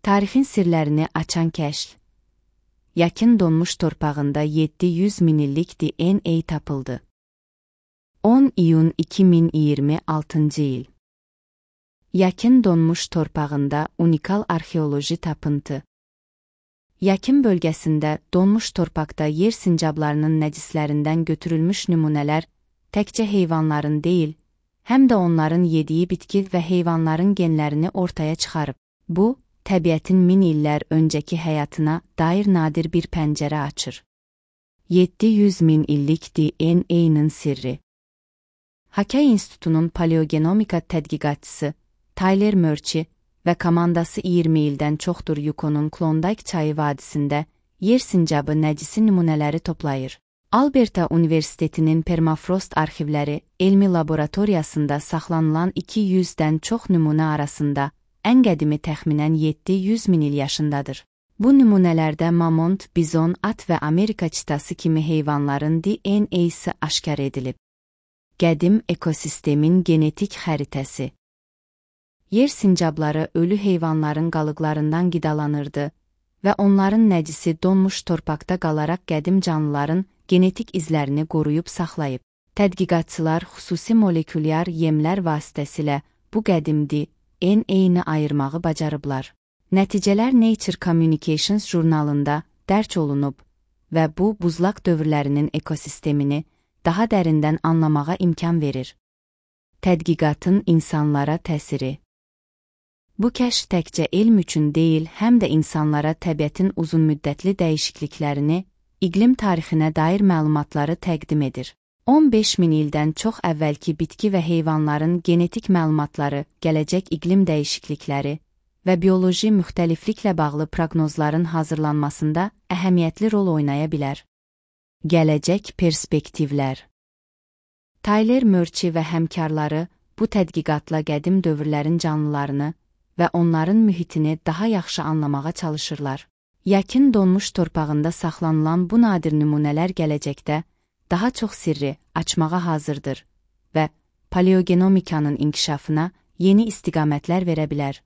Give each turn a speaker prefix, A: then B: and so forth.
A: Tarixin sirlərini açan kəşf. Yakın donmuş torpağında 700 min illik DNA tapıldı. 10 iyun 2026 il. Yakın donmuş torpağında unikal arxeoloji tapıntı. Yakın bölgəsində donmuş torpaqda yer sincablarının nəcislərindən götürülmüş nümunələr təkcə heyvanların deyil, həm də onların yediyi bitki və heyvanların genlərini ortaya çıxarıb. Bu, təbiətin min illər öncəki həyatına dair nadir bir pəncərə açır. 700 min illik DNA-nın sirri. Hakay İnstitutunun paleogenomika tədqiqatçısı Tyler Murchie və komandası 20 ildən çoxdur Yukonun Klondike çayı vadisində yer sincabı nəcisi nümunələri toplayır. Alberta Universitetinin permafrost arxivləri elmi laboratoriyasında saxlanılan 200-dən çox nümunə arasında ən qədimi təxminən 700 min il yaşındadır. Bu nümunələrdə mamont, bizon, at və Amerika çitası kimi heyvanların DNA-sı aşkar edilib. Qədim ekosistemin genetik xəritəsi. Yer sincabları ölü heyvanların qalıqlarından qidalanırdı və onların nəcisi donmuş torpaqda qalaraq qədim canlıların genetik izlərini qoruyub saxlayıb. Tədqiqatçılar xüsusi molekulyar yemlər vasitəsilə bu qədim DNA-ni ayırmağı bacarıblar. Nəticələr Nature Communications jurnalında dərc olunub və bu buzlaq dövrlərinin ekosistemini daha dərindən anlamağa imkan verir. Tədqiqatın insanlara təsiri. Bu kəşf təkcə elm üçün deyil, həm də insanlara təbiətin uzunmüddətli dəyişikliklərini, iqlim tarixinə dair məlumatları təqdim edir. 15 min ildən çox əvvəlki bitki və heyvanların genetik məlumatları, gələcək iqlim dəyişiklikləri və bioloji müxtəlifliklə bağlı proqnozların hazırlanmasında əhəmiyyətli rol oynaya bilər. Gələcək perspektivlər. Tyler Murchie və həmkarları bu tədqiqatla qədim dövrlərin canlılarını və onların mühitini daha yaxşı anlamağa çalışırlar. Yakın donmuş torpağında saxlanılan bu nadir nümunələr gələcəkdə daha çox sirri açmağa hazırdır və paleogenomikanın inkişafına yeni istiqamətlər verə bilər.